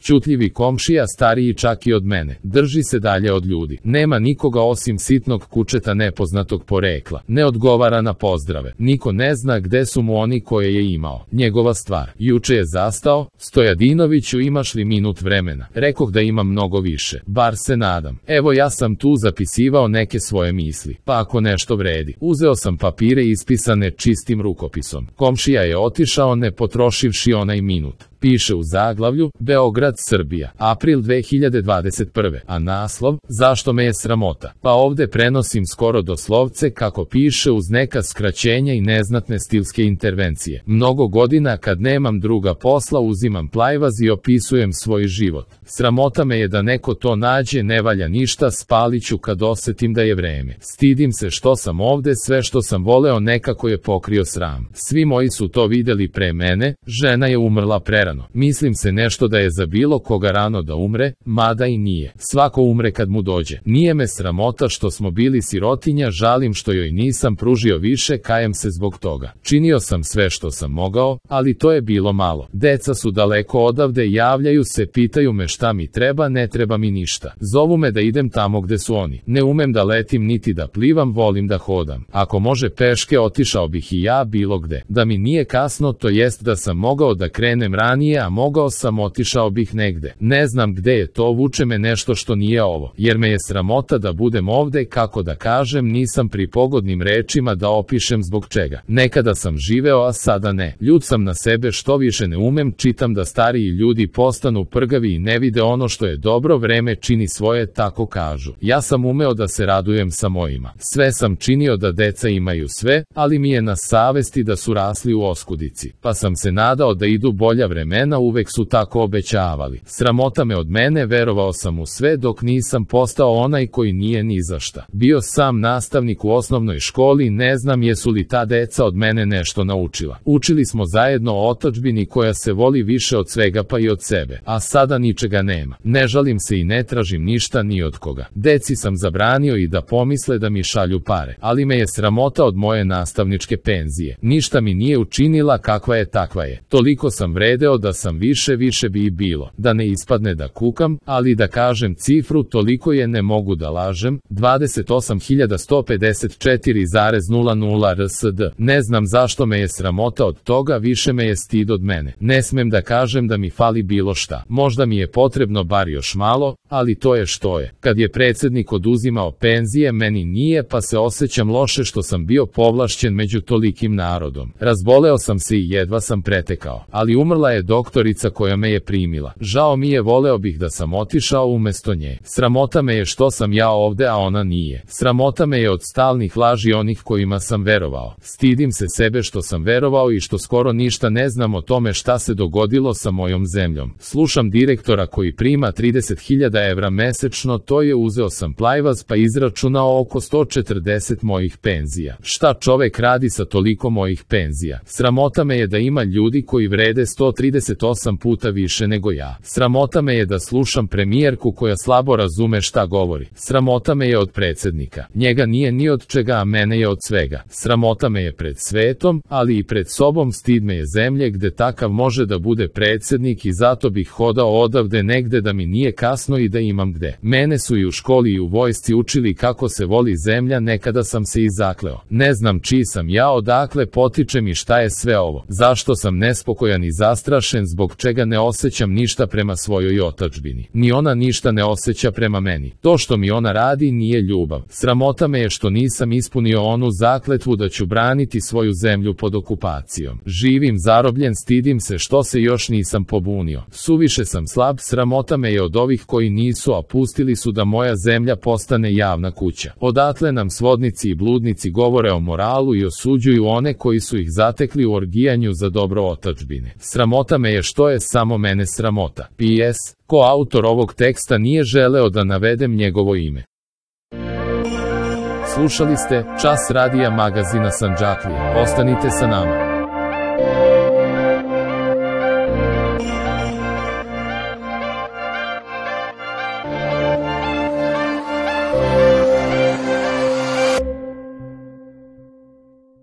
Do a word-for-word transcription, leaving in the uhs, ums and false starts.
Ćutljivi komšija, stariji čak i od mene. Drži se dalje od ljudi. Nema nikoga osim sitnog kučeta nepoznatog porekla. Ne odgovara na pozdrave. Niko ne zna gde su mu oni koje je imao. Njegova stvar. Juče je zastao. Stojadinoviću, imaš li minut vremena? Rekoh da imam mnogo više. Bar se nadam. Evo, ja sam tu zapisivao neke svoje misli. Pa ako nešto vredi. Uzeo sam papire ispisane čistim rukopisom. Komšija je otišao ne potrošivši onaj minut. Piše u zaglavlju, Beograd, Srbija, april dve hiljade dvadeset prve. A naslov, zašto me je sramota? Pa ovde prenosim skoro doslovce kako piše uz neka skraćenja i neznatne stilske intervencije. Mnogo godina kad nemam druga posla uzimam plajvaz i opisujem svoj život. Sramota me je da neko to nađe, ne valja ništa, spaliću kad osetim da je vreme. Stidim se što sam ovde, sve što sam voleo nekako je pokrio sram. Svi moji su to videli pre mene, žena je umrla prerano. Mislim se nešto da je za bilo koga rano da umre, mada i nije. Svako umre kad mu dođe. Nije me sramota što smo bili sirotinja, žalim što joj nisam pružio više, kajem se zbog toga. Činio sam sve što sam mogao, ali to je bilo malo. Deca su daleko odavde, javljaju se, pitaju me šta mi treba, ne treba mi ništa. Zovu me da idem tamo gde su oni. Ne umem da letim niti da plivam, volim da hodam. Ako može peške, otišao bih i ja bilo gde. Da mi nije kasno, to jest da sam mogao da krenem ranije, a mogao sam, otišao bih negde. Ne znam gde je to, vuče me nešto što nije ovo, jer me je sramota da budem ovde, kako da kažem, nisam pri pogodnim rečima da opišem zbog čega. Nekada sam živeo, a sada ne. Ljut sam na sebe što više ne umem, čitam da stariji ljudi postanu prgavi i ne vide ono što je dobro, vreme čini svoje, tako kažu. Ja sam umeo da se radujem sa mojima. Sve sam činio da deca imaju sve, ali mi je na savesti da su rasli u oskudici. Pa sam se nadao da idu bolja vremena, uvek su tako obećavali. Sramota me od mene, verovao sam u sve dok nisam postao onaj koji nije ni za šta. Bio sam nastavnik u osnovnoj školi, ne znam jesu li ta deca od mene nešto naučila. Učili smo zajedno o otadžbini koja se voli više od svega pa i od sebe, a sada ničega nema. Ne žalim se i ne tražim ništa ni od koga. Deci sam zabranio i da pomisle da mi šalju pare, ali me je sramota od moje nastavničke penzije. Ništa mi nije učinila, kakva je takva je. Toliko sam vredeo da sam više, više bi i bilo. Da ne ispadne da kukam, ali da kažem cifru, toliko je, ne mogu da lažem, dvadeset osam hiljada sto pedeset četiri zarez nula nula R S D. Ne znam zašto me je sramota od toga, više me je stid od mene. Ne smem da kažem da mi fali bilo šta. Možda mi je potrebno bar još malo, ali to je što je. Kad je predsednik oduzimao penzije, meni nije, pa se osjećam loše što sam bio povlašćen među tolikim narodom. Razboleo sam se i jedva sam pretekao, ali umrla je doktorica koja me je primila. Žao mi je, voleo bih da sam otišao umesto nje. Sramota me je što sam ja ovde, a ona nije. Sramota me je od stalnih laži onih kojima sam verovao. Stidim se sebe što sam verovao i što skoro ništa ne znam o tome šta se dogodilo sa mojom zemljom. Slušam direktora koji prima trideset hiljada evra mesečno, to je, uzeo sam plajvaz pa izračunao oko sto četrdeset mojih penzija. Šta čovek radi sa toliko mojih penzija? Sramota me je da ima ljudi koji vrede sto trideset osam puta više nego ja. Sramota me je da slušam premijerku koja slabo razume šta govori. Sramota me je od predsednika. Njega nije ni od čega, a mene je od svega. Sramota me je pred svetom, ali i pred sobom. Stid me je zemlje gde takav može da bude predsednik i zato bih hodao odavde negde da mi nije kasno i da imam gde. Mene su i u školi i u vojsci učili kako se voli zemlja, nekada sam se i zakleo. Ne znam čiji sam ja, odakle potičem i šta je sve ovo. Zašto sam nespokojan i zastrašen, zbog čega ne osjećam ništa prema svojoj otadžbini. Ni ona ništa ne osjeća prema meni. To što mi ona radi nije ljubav. Sramota me je što nisam ispunio onu zakletvu da ću braniti svoju zemlju pod okupacijom. Živim zarobljen, stidim se što se još nisam pobunio. Suviše sam slab, sramota me je od ovih koji nisu, a pustili su da moja zemlja postane javna kuća. Odatle nam svodnici i bludnici govore o moralu i osuđuju one koji su ih zatekli u orgijanju za dobro otadžbine. Sramota me je što je samo mene sramota. P S. Ko autor ovog teksta nije želeo da navedem njegovo ime. Slušali ste Čas radija magazina Sandžaklija. Ostanite sa nama.